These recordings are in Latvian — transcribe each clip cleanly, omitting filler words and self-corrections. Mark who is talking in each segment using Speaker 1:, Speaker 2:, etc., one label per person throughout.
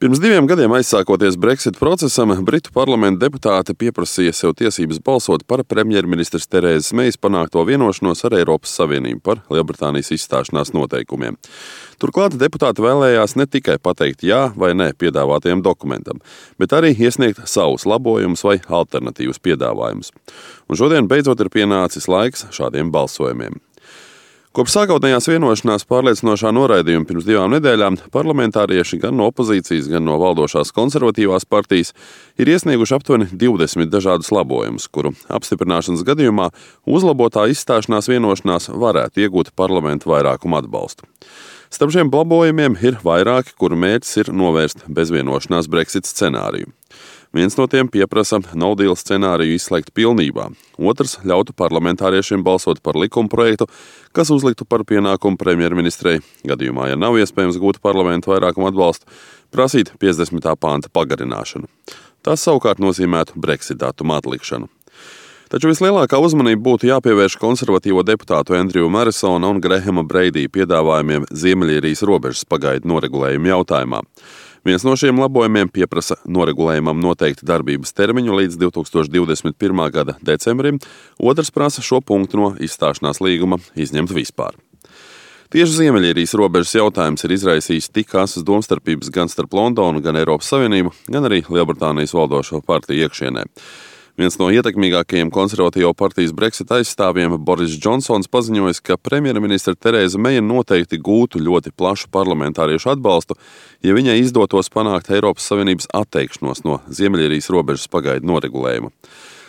Speaker 1: Pirms 2 gadiem aizsākoties Brexit procesam, Britu parlamenta deputāti pieprasīja sev tiesības balsot par premjerministres Terēzes Meijas panākto vienošanos ar Eiropas Savienību par Lielbritānijas izstāšanās noteikumiem. Turklāt deputāti vēlējās ne tikai pateikt jā vai nē piedāvātajam dokumentam, bet arī iesniegt savus labojumus vai alternatīvus piedāvājumus. Un šodien beidzot ir pienācis laiks šādiem balsojumiem. Kopš sākotnējās vienošanās pārliecinošā noraidījuma pirms 2 nedēļām parlamentārieši gan no opozīcijas, gan no valdošās konservatīvās partijas ir iesnieguši aptuveni 20 dažādus labojumus, kuru apstiprināšanas gadījumā uzlabotā izstāšanās vienošanās varētu iegūt parlamenta vairākumu atbalstu. Starp šiem labojumiem ir vairāki, kuru mērķis ir novērst bezvienošanās Brexit scenāriju. Viens no tiem pieprasa no-deal scenāriju izslēgt pilnībā. Otrs ļautu parlamentāriešiem balsot par likumprojektu, kas uzliktu par pienākumu premjerministrei, gadījumā, ja nav iespējams gūt parlamentu vairākumu atbalstu, prasīt 50. panta pagarināšanu. Tas savukārt nozīmētu Brexit datumu atlikšanu. Taču vislielākā uzmanība būtu jāpievērš konservatīvo deputātu Andriju Marisona un Grahama Breidija piedāvājumiem Ziemeļīrijas robežas pagaidu noregulējumu jautājumā. Viens no šiem labojumiem pieprasa noregulējumam noteikti darbības termiņu līdz 2021. gada decembrim, otrs prasa šo punktu no izstāšanās līguma izņemt vispār. Tieši Ziemeļīrijas robežas jautājums ir izraisījis tik asas domstarpības gan starp Londonu, gan Eiropas Savienību, gan arī Lielbritānijas valdošo partiju iekšienē. Viens no ietekmīgākajiem konservatīvo partijas Brexit aizstāvjiem, Boris Džonsons, paziņojis, ka premjerministre Terēza Meija noteikti gūtu ļoti plašu parlamentāriešu atbalstu, ja viņai izdotos panākt Eiropas Savienības atteikšanos no Ziemeļīrijas robežas pagaidu noregulējuma.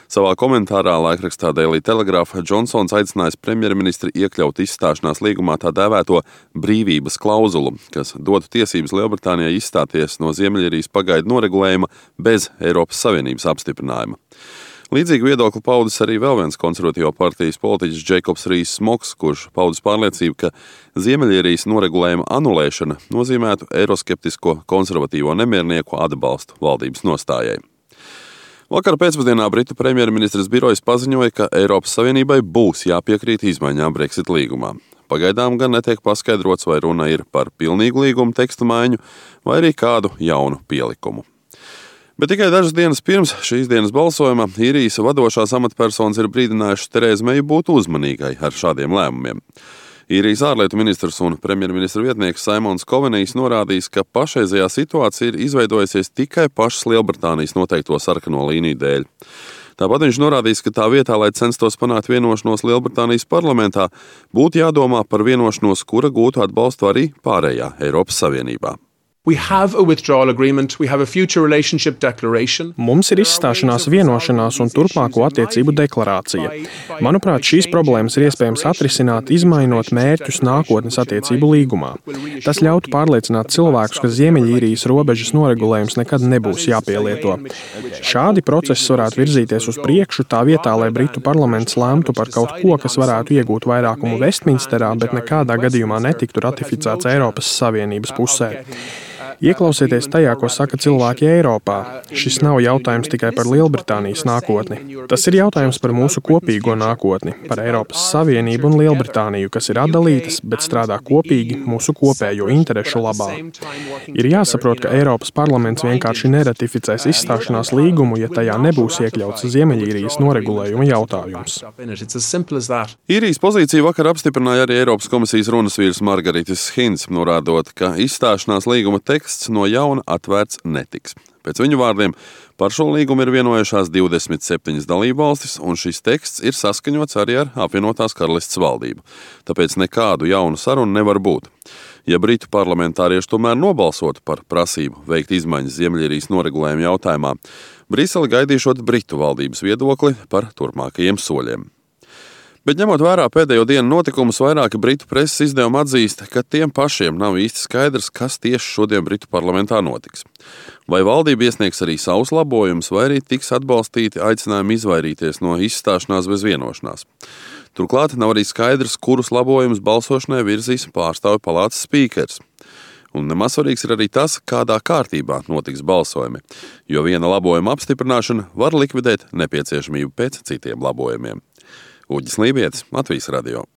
Speaker 1: Savā komentārā laikrakstā Daily Telegraph Džonsons aicinājis premjerministri iekļaut izstāšanās līgumā tā dēvēto brīvības klauzulu, kas dotu tiesības Lielbritānijai izstāties no Ziemeļīrijas pagaidu noregulējuma bez Eiropas Savienības apstiprinājuma. Līdzīgu viedokli paudis arī vēl viens konservatīvo partijas politiķis Jacobs Rees-Moggs, kurš paudis pārliecību, ka Ziemeļīrijas noregulējuma anulēšana nozīmētu eiroskeptisko konservatīvo nemiernieku atbalstu valdības nostājai. Vakar pēcpusdienā Britu premjerministres birojas paziņoja, ka Eiropas Savienībai būs jāpiekrīt izmaiņām Brexit līgumā. Pagaidām gan netiek paskaidrots, vai runa ir par pilnīgu līguma tekstu maiņu vai arī kādu jaunu pielikumu. Bet tikai dažas dienas pirms šīs dienas balsojuma īrijas vadošās amatpersonas ir brīdinājušas Terēzu Meiju būt uzmanīgai ar šādiem lēmumiem. Īrijas ārlietu ministrs un premjerministra vietnieks Simons Kovenijs norādījis, ka pašreizējā situācija ir izveidojusies tikai pašas Lielbritānijas noteikto sarkano līniju dēļ. Tāpat viņš norādījis, ka tā vietā, lai censtos panākt vienošanos Lielbritānijas parlamentā, būtu jādomā par vienošanos, kura gūtu atbalstu arī pārējā Eiropas Savienībā.
Speaker 2: Mums ir izstāšanās vienošanās un turpmāko attiecību deklarācija. Manuprāt, šīs problēmas ir iespējams atrisināt, izmainot mērķus nākotnes attiecību līgumā. Tas ļautu pārliecināt cilvēkus, ka Ziemeļīrijas robežas noregulējums nekad nebūs jāpielieto. Šādi procesi varētu virzīties uz priekšu tā vietā, lai Britu parlaments lēmtu par kaut ko, kas varētu iegūt vairākumu Vestminsterā, bet nekādā gadījumā netiktu ratificēts Eiropas Savienības pusē. Ieklausieties tajā, ko saka cilvēki Eiropā. Šis nav jautājums tikai par Lielbritānijas nākotni. Tas ir jautājums par mūsu kopīgo nākotni, par Eiropas Savienību un Lielbritāniju, kas ir atdalītas, bet strādā kopīgi mūsu kopējo interešu labā. Ir jāsaprot, ka Eiropas parlaments vienkārši neratificēs izstāšanās līgumu, ja tajā nebūs iekļauts Ziemeļīrijas noregulējuma jautājums.
Speaker 1: Īrijas pozīciju vakar apstiprināja arī Eiropas komisijas runas vīrs Margaritis Hinds, norādot, ka izstāšanās līguma teksts no jauna atvērts netiks. Pēc viņu vārdiem par šo līgumu ir vienojušās 27 dalībvalstis, un šis teksts ir saskaņots arī ar apvienotās karalists valdību. Tāpēc nekādu jaunu sarunu nevar būt. Ja Britu parlamentārieši tomēr nobalsotu par prasību veikt izmaiņas Ziemeļīrijas noregulējuma jautājumā, Brisele gaidīšot Britu valdības viedokli par turpmākajiem soļiem. Bet ņemot vērā pēdējo dienu notikumus, vairāki Britu preses izdevumi atzīst, ka tiem pašiem nav īsti skaidrs, kas tieši šodien Britu parlamentā notiks. Vai valdība iesniegs arī savus labojumus, vai arī tiks atbalstīti aicinājumi izvairīties no izstāšanās bez vienošanās. Turklāt nav arī skaidrs, kurus labojumus balsošanai virzīs pārstāvju palātas spīkers. Un nemaz svarīgs ir arī tas, kādā kārtībā notiks balsojumi, jo viena labojuma apstiprināšana var likvidēt nepieciešamību pēc citiem labojumiem. Uģis Lībietis, Latvijas radio.